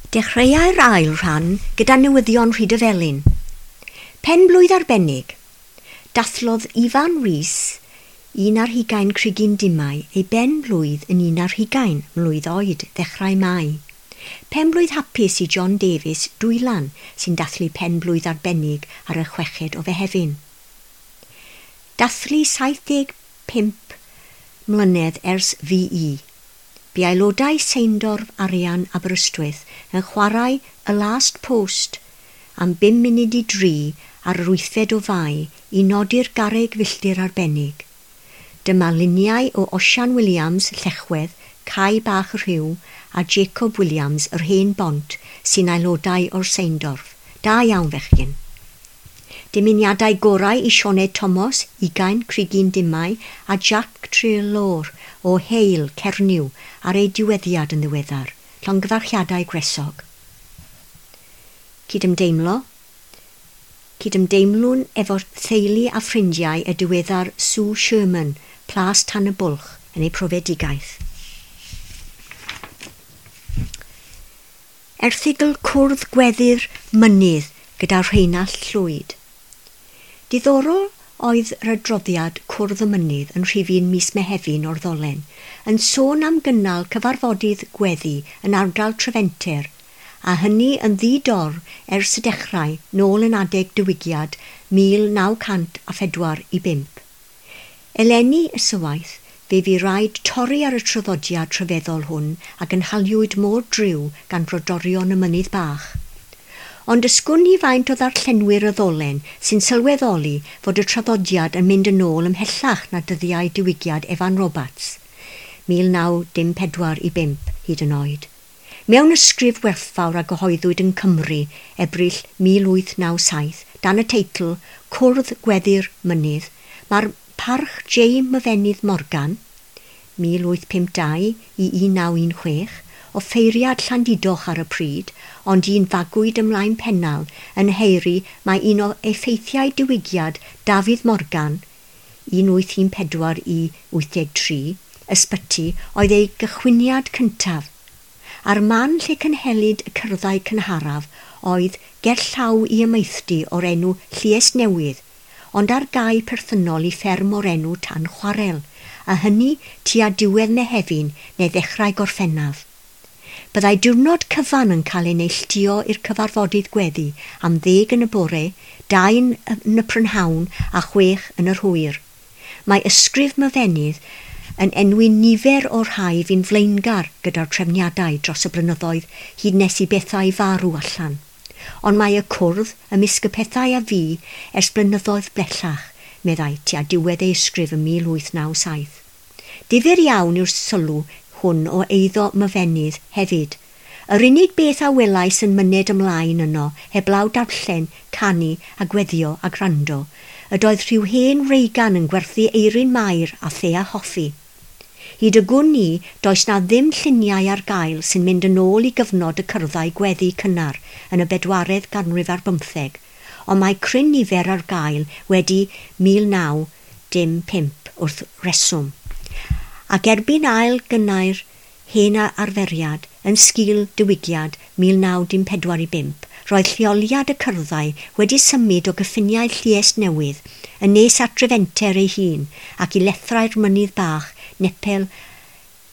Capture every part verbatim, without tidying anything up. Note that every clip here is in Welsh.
Dechreuai'r ail rhan gyda newyddion Rhydyfelin. Penblwydd arbennig. Dathlodd Ifan Rhys, un ar hugain Crigyn Dimau, ei ben-blwydd yn un ar hugain mlwydd oed ddechrau Mai. Penblwydd hapus i John Davies, Dwylan, sy'n dathlu penblwydd arbennig ar y chweched o Fehefin. Dathlu saith deg pump mlynedd ers V E. Bu aelodau Seindorf Arian Aberystwyth yn chwarae y Last Post am bum munud i dri ar yr wythfed o Fai i nodi'r garreg filltir arbennig. Dyma luniau o Osian Williams, Llechwedd, Cae Bach y Rhiw a Jacob Williams, yr Hen Bont, sy'n aelodau o'r Seindorf. Da iawn, fechgyn. Dymuniadau gorau i Sioned Thomas, ugain Crigyn Dimau, a Jack Treloar o Heil, Cernyw, ar ei diweddiad yn ddiweddar. Llongyfarchiadau gwresog. Cydymdeimlo. Cydymdeimlwn efo theulu a ffrindiau y diweddar Sue Sherman, Plas Tan y Bwlch, yn ei profedigaeth. Erthygl Cwrdd Gweddi'r Mynydd gyda Rheinallt Llwyd. Diddorol oedd yr adroddiad Cwrdd y Mynydd yn rhifyn mis Mehefin o'r ddolen, yn sôn am gynnal cyfarfodydd gweddi yn ardal Trefenter, a hynny yn ddi-dor ers y dechrau nôl yn adeg diwygiad mil naw cant a phedwar i bump. Eleni ysywaeth, fe fu raid torri ar y traddodiad rhyfeddol hwn a gynhaliwyd mor driw gan brodorion y Mynydd Bach. Ond ysgwn i faint o ddarllenwyr y ddolen sy'n sylweddoli fod y traddodiad yn mynd yn ôl ymhellach na dyddiau diwygiad Evan Roberts, mil naw dim pedwar i bump hyd yn oed. Mewn ysgrif werthfawr a gyhoeddwyd yn Cymru, Ebrill mil wyth naw saith, dan y teitl Cwrdd Gweddi'r Mynydd, mae'r parch J. Myfenydd Morgan, mil wyth pump dau i un naw un chwech, o ffeiriad Llandudoch ar y pryd, ond un fagwyd ymlaen Pennal yn Heiri mae un o effeithiau diwygiad Dafydd Morgan, un wyth un pedwar i wyth deg tri, ysbyty, oedd ei gychwyniad cyntaf. A'r man lle cynhelid y cyrddau cynharaf oedd gerllaw i amaethdy o'r enw Lluest Newydd, ond ar gau perthynol i fferm o'r enw Tan Chwarel, a hynny tua diwedd Mehefin neu ddechrau Gorffennaf. Byddai diwrnod cyfan yn cael ei neilltuo i'r cyfarfodydd gweddi am ddeg yn y bore, dau yn y prynhawn a chwech yn yr hwyr. Mae ysgrif Myfenydd yn enwi nifer o'r rhai fu'n flaengar gyda'r trefniadau dros y blynyddoedd hyd nes i bethau farw allan. Ond mae y cwrdd ymysg y pethau a fu ers blynyddoedd bellach, meddai tua diwedd ei ysgrif ym mil wyth naw saith. Difyr iawn yw'r sylw hwn o eiddo Myfenydd hefyd. Yr unig beth a welais yn myned ymlaen yno, heblaw darllen, canu a gweddio a gwrando, ydoedd rhyw hen reigan yn gwerthu eirin Mair a the a hoffi. Hyd y gwn i, does na ddim lluniau ar gael sy'n mynd yn ôl i gyfnod y cyrddau gweddi cynnar yn y bedwaredd ganrif ar bymtheg, ond mae cryn nifer ar gael wedi mil naw dim pump wrth reswm. Ac erbyn ail gynnau'r hen arferiad yn sgil diwygiad mil naw dim pedwar i bump, roedd lleoliad y cyrddau wedi symud o gyffiniau Lluest Newydd yn nes at Drefenter ei hun ac i lethrau'r Mynydd Bach nepell,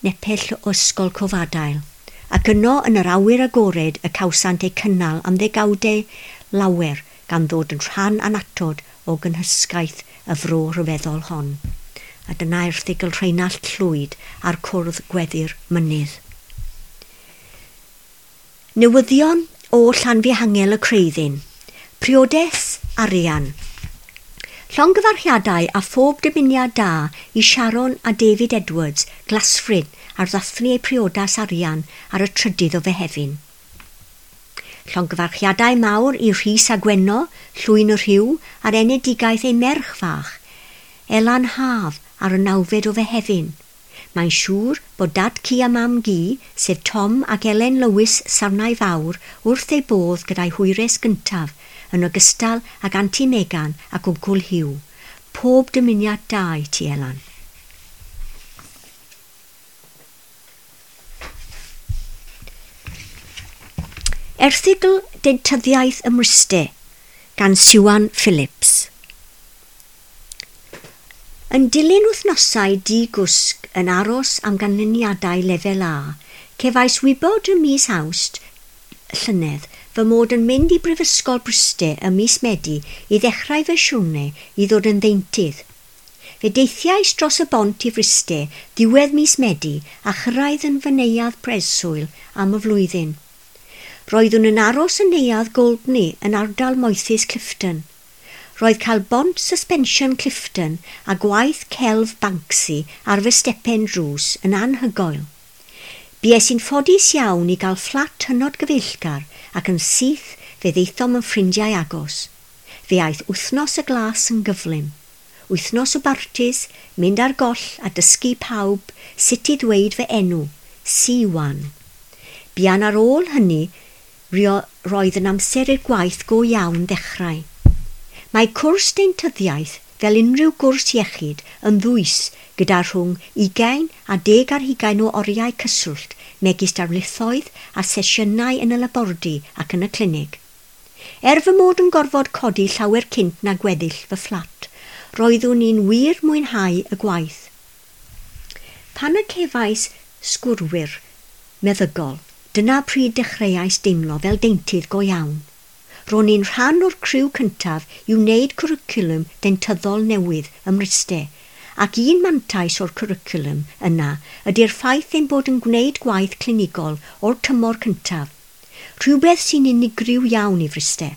nepell o Ysgol Cofadail. Ac yno yn yr awyr agored y cawsant eu cynnal am ddegawdau lawer gan ddod yn rhan annatod o gynhysgaeth y fro rhyfeddol hon. A dyna erthygl Rheinallt Llwyd ar Cwrdd Gweddi'r Mynydd. Newyddion o Llanfihangel y Creuddyn. Priodas Arian. Llongyfarchiadau a phob dymuniad da i Sharon a David Edwards, Glasfryn, ar ddathlu eu priodas arian ar y trydydd o Fehefin. Llongyfarchiadau mawr i Rhys a Gwenno, Llwyn y Rhiw, ar enedigaeth ei merch fach, Elan Haf, ar y nawfed o Fehefin. Mae'n siŵr bod dad ci a mam gi, sef Tom ac Elen Lewis Sarnau Fawr, wrth ei bodd gyda'i hwyres gyntaf, yn ogystal ag Anti Megan ac Wncwl Hugh. Pob dymuniad da i ti, Elan. Erthygl Dentyddiaeth ym Mryste gan Siwan Phillips. Yn dilyn wythnosau di-gwsg yn aros am ganlyniadau lefel A, cefais wybod ym mis Awst llynedd fy mod yn mynd i Brifysgol Bryste ym mis Medi i ddechrau fy siwrne i ddod yn ddeintydd. Fe deithiais dros y bont i Fryste ddiwedd mis Medi a chyrraedd yn fy neuadd breswyl am y flwyddyn. Roeddwn yn aros yn neuadd Goldney yn ardal moethus Clifton. Roedd cael bont suspension Clifton a gwaith celf Banksy ar fy stepen drws yn anhygoel. Bues i'n ffodus iawn i gael fflat hynod gyfeillgar ac yn syth fe ddaethom yn ffrindiau agos. Fe aeth wythnos y glas yn gyflym. Wythnos o bartis, mynd ar goll a dysgu pawb sut i ddweud fy enw, Siwan. Buan ar ôl hynny, roedd yn amser i'r gwaith go iawn ddechrau. Mae cwrs deintyddiaeth, fel unrhyw gwrs iechyd, yn ddwys gyda rhwng ugain a deg ar hugain o oriau cyswllt, megis darlithoedd a sesiynau yn y labordy ac yn y clinig. Er fy mod yn gorfod codi llawer cynt na gweddill fy fflat, roeddwn i'n wir mwynhau y gwaith. Pan y cefais sgwrwyr meddygol, dyna pryd dechreuais deimlo fel deintydd go iawn. Ro'n i'n rhan o'r criw cyntaf i wneud cwricwlwm dentyddol newydd ym Mryste, ac un mantais o'r cwricwlwm yna ydy'r ffaith ein bod yn gwneud gwaith clinigol o'r tymor cyntaf, rhywbeth sy'n unigryw iawn i Fryste.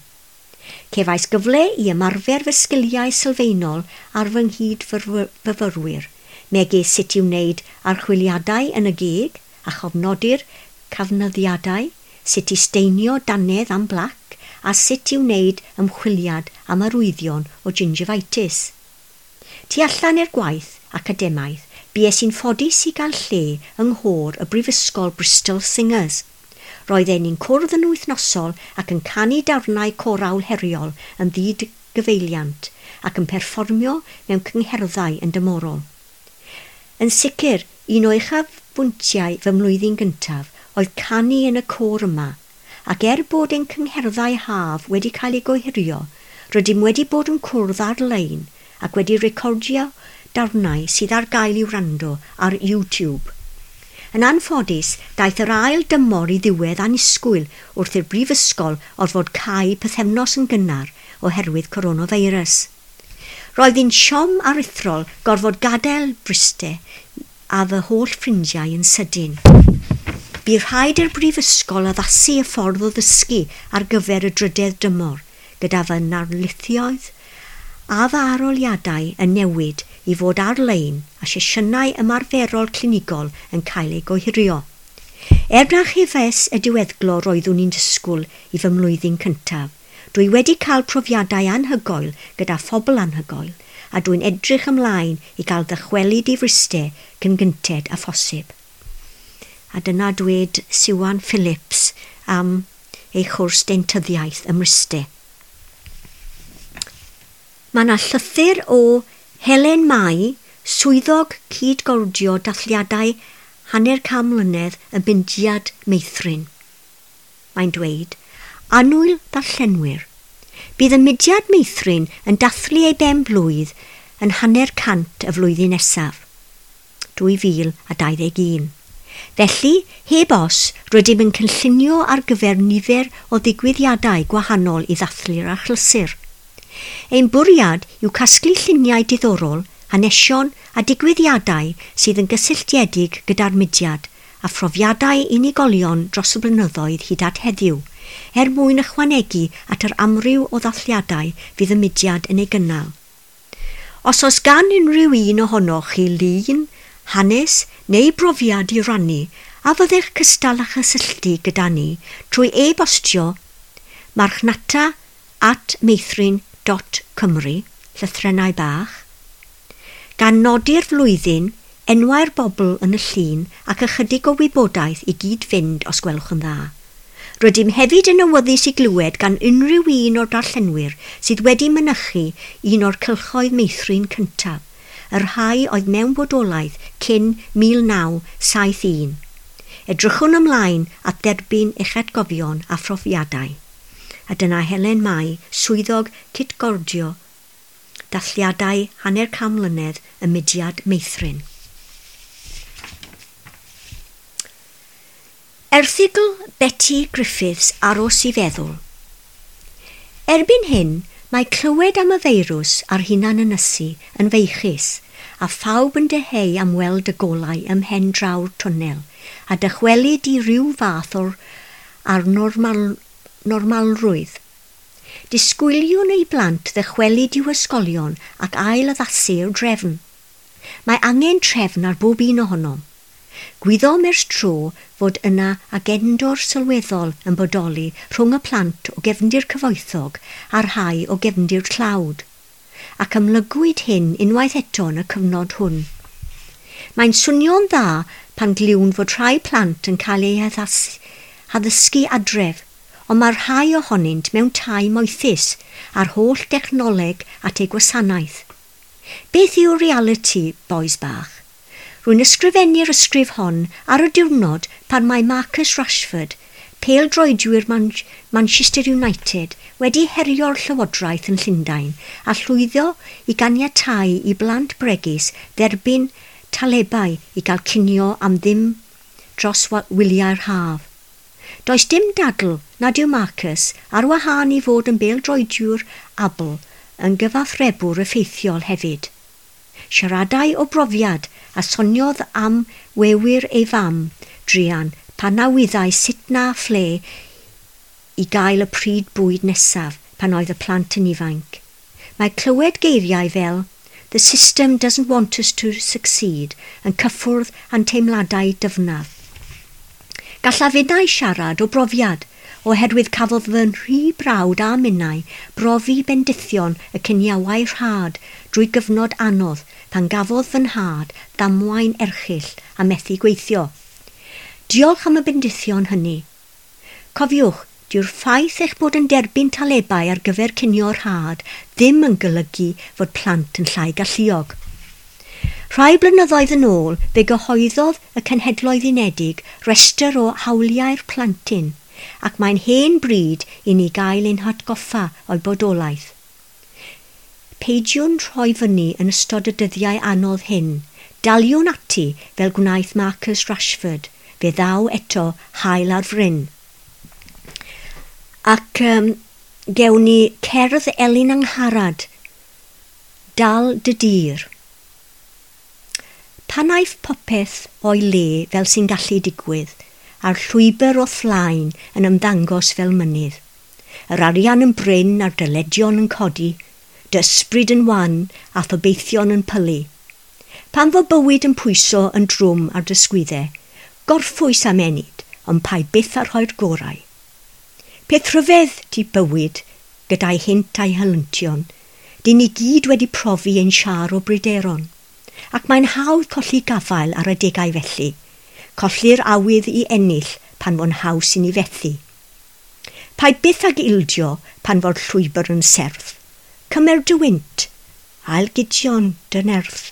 Cefais gyfle i ymarfer fy sgiliau sylfaenol ar fy nghyd-fyfyrwyr, megis sut i wneud archwiliadau yn y geg a chofnodi'r cafnyddiadau, sut i steinio dannedd am blac, a sut i wneud ymchwiliad am arwyddion o gingivitis. Tu allan i'r gwaith academaidd, bues i'n ffodus i gael lle yng nghôr y Brifysgol Bristol Singers. Roedden ni'n cwrdd yn wythnosol ac yn canu darnau corawl heriol yn ddyd-gyfeiliant ac yn perfformio mewn cyngherddau yn dymorol. Yn sicr, un o uchafbwyntiau fy mlwyddyn gyntaf oedd canu yn y côr yma, ac er bod ein cyngherddau haf wedi cael eu gohirio, rydym wedi bod yn cwrdd ar-lein ac wedi recordio darnau sydd ar gael i'w wrando ar YouTube. Yn anffodus, daeth yr ail dymor i ddiwedd annisgwyl wrth i'r brifysgol orfod cau pythefnos yn gynnar oherwydd coronavirus. Roedd hi'n siom aruthrol gorfod gadael Bryste a fy holl ffrindiau yn sydyn. Bu rhaid i'r brifysgol addasu y ffordd o ddysgu ar gyfer y drydedd dymor, gyda fy narlithioedd a fy arholiadau yn newid i fod ar-lein a sesiynau ymarferol clinigol yn cael eu gohirio. Er na chefais y diweddglo roeddwn i'n disgwyl i fy mlwyddyn cyntaf, dwi wedi cael profiadau anhygoel gyda phobl anhygoel, a dwi'n edrych ymlaen i gael ddychwelyd i Fryste cyn gynted â phosib. A dyna dweud Siwan Phillips am ei chwrs dentyddiaeth ym Mryste. Mae yna llythyr o Helen Mai, swyddog cydgordio dathliadau hanner can mlynedd y Mudiad Meithrin. Mae'n dweud, Annwyl ddarllenwyr, bydd y Mudiad Meithrin yn dathlu ei ben blwydd yn hanner cant y flwyddyn nesaf, dwy fil a dau ddeg un. Felly, heb os, rydym yn cynllunio ar gyfer nifer o ddigwyddiadau gwahanol i ddathlu'r achlysur. Ein bwriad yw casglu lluniau diddorol, hanesion a digwyddiadau sydd yn gysylltiedig gyda'r mudiad a phrofiadau unigolion dros y blynyddoedd hyd at heddiw, er mwyn ychwanegu at yr amryw o ddathliadau fydd y mudiad yn ei gynnal. Os oes gan unrhyw un ohonoch chi lun, hanes neu brofiad i rannu, a fyddech cystal â chysylltu gyda ni trwy e-bostio marchnata at meithrin dot cymru, llythrennau bach, gan nodi'r flwyddyn, enwau'r bobl yn y llun ac ychydig o wybodaeth i gyd-fynd os gwelwch yn dda. Rydym hefyd yn awyddus i glywed gan unrhyw un o'r darllenwyr sydd wedi mynychu un o'r cylchoedd meithrin cyntaf, y rhai oedd mewn bodolaeth cyn mil naw saith un. Edrychwn ymlaen at dderbyn eich atgofion a phrofiadau. A dyna Helen Mai, swyddog cytgordio dathliadau hanner can mlynedd y mudiad meithrin. Erthygl Betty Griffiths Aros i feddwl. Erbyn hyn, mae clywed am y feirws a'r hunan ynysu yn feichus a phawb yn dyheu am weld y golau ym mhen draw'r twnnel a dychwelyd i ryw fath o'r ar normal, normalrwydd. Disgwyliwn ei blant ddychwelyd i'w ysgolion ac ail addasu'r drefn. Mae angen trefn ar bob un ohonom. Gwyddom ers tro fod yna agendor sylweddol yn bodoli rhwng y plant o gefndir cyfoethog a'r rhai o gefndir tlawd, ac amlygwyd hyn unwaith eto yn y cyfnod hwn. Mae'n swnio'n dda pan glywn fod rhai plant yn cael eu haddysgu adref, ond mae rhai ohonynt mewn tai moethus a'r holl dechnoleg at eu gwasanaeth. Beth yw'r realiti, bois bach? Rwy'n ysgrifennu'r ysgrif hon ar y diwrnod pan mae Marcus Rashford, pêl-droediwr Man- Manchester United, wedi herio'r llywodraeth yn Llundain a llwyddo i ganiatáu i blant bregus dderbyn talebau i gael cinio am ddim dros wyliau'r haf. Does dim dadl nad yw Marcus, ar wahân i fod yn bêl-droediwr abl, yn gyfathrebwr effeithiol hefyd. Siaradai o brofiad a soniodd am wewyr ei fam, druan, pan na wyddai sut na phle i gael y pryd bwyd nesaf pan oedd y plant yn ifanc. Mae clywed geiriau fel "The system doesn't want us to succeed" yn cyffwrdd â'n teimladau dyfnaf. Gallaf innau siarad o brofiad, oherwydd cafodd fy nhri brawd a minnau brofi bendithion y ciniawau rhad drwy gyfnod anodd pan gafodd fy nhad ddamwain erchyll a methu gweithio. Diolch am y bendithion hynny. Cofiwch, dyw'r ffaith eich bod yn derbyn talebau ar gyfer cinio rhad ddim yn golygu fod plant yn llai galluog. Rhai blynyddoedd yn ôl, fe gyhoeddodd y Cenhedloedd Unedig restr o hawliau'r plentyn, ac mae'n hen bryd i ni gael ein hatgoffa o'i bodolaeth. Peidiwn rhoi fyny yn ystod y dyddiau anodd hyn. Daliwn ati fel gwnaeth Marcus Rashford, fe ddaw eto haul ar fryn. Ac um, gewn ni cerdd Elin Angharad, Dal dy dir. Pan aiff popeth o'i le fel sy'n gallu digwydd, a'r llwybr o'th flaen yn ymddangos fel mynydd. Yr arian yn brin a'r dyledion yn codi, dy ysbryd yn wan a thobeithion yn pylu. Pan fo bywyd yn pwyso yn drwm ar dy sgwyddau, gorffwys am ennyd, ond paid byth â rhoi'r gorau. Peth rhyfedd 'di bywyd gyda'i hynt a'i helyntion, dyn ni gyd wedi profi ein siâr o bryderon, ac mae'n hawdd colli gafael ar adegau felly, colli'r awydd i ennill pan fo'n haws i ni fethu. Paid byth ag ildio pan fo'r llwybr yn serth. Cymer dy wynt, ailgydion dy nerth.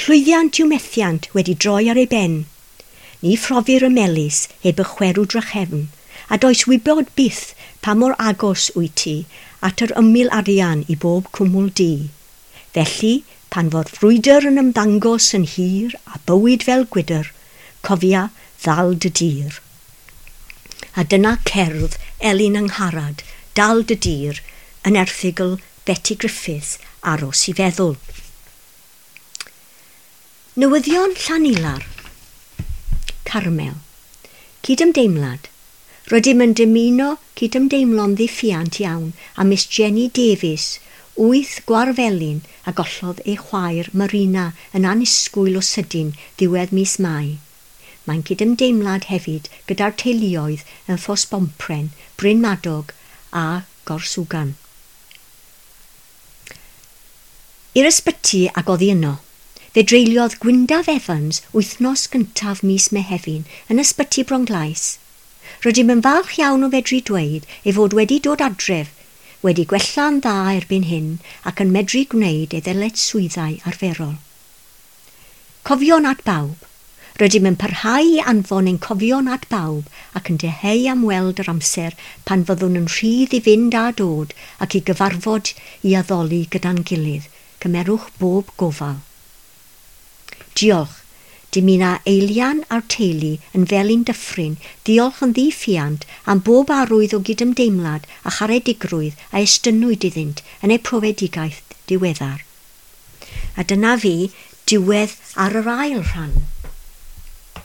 Llwyddiant yw methiant wedi droi ar ei ben. Ni phrofir y melys heb y chwerw drachefn, a does wybod byth pa mor agos wyt ti at yr ymyl arian i bob cwmwl du. Felly, pan fo'r frwydr yn ymddangos yn hir a bywyd fel gwydr, cofia ddal dy dir. A dyna cerdd Elin Angharad, Dal dy dir, yn erthygl Betty Griffiths, Aros i feddwl. Newyddion Llanilar. Carmel. Cydymdeimlad. Rydym yn dymuno cydymdeimlo'n ddiffuant iawn â Miss Jenny Davies, wyth Gwarfelin, a gollodd ei chwaer Marina yn annisgwyl o sydyn ddiwedd mis Mai. Mae'n cydymdeimlad hefyd gyda'r teuluoedd yn Ffos-bompren, Bryn Madog a Gorswgan. I'r ysbyty ac oddi yno. Fe dreuliodd Gwyndaf Evans wythnos gyntaf mis Mehefin yn ysbyty Bronglais. Rydym yn falch iawn o fedru dweud ei fod wedi dod adref, wedi gwella'n dda erbyn hyn ac yn medru gwneud ei ddyletswyddau arferol. Cofion at bawb. Rydym yn parhau i anfon ein cofion at bawb ac yn dyheu am weld yr amser pan fyddwn yn rhydd i fynd a dod ac i gyfarfod i addoli gyda'n gilydd. Cymerwch bob gofal. Diolch. Dymuna Eilian a'r teulu yn Felin Dyffryn ddiolch yn ddiffuant am bob arwydd o gydymdeimlad a charedigrwydd a estynnwyd iddynt yn eu profedigaeth diweddar. A dyna fi, diwedd ar yr ail rhan.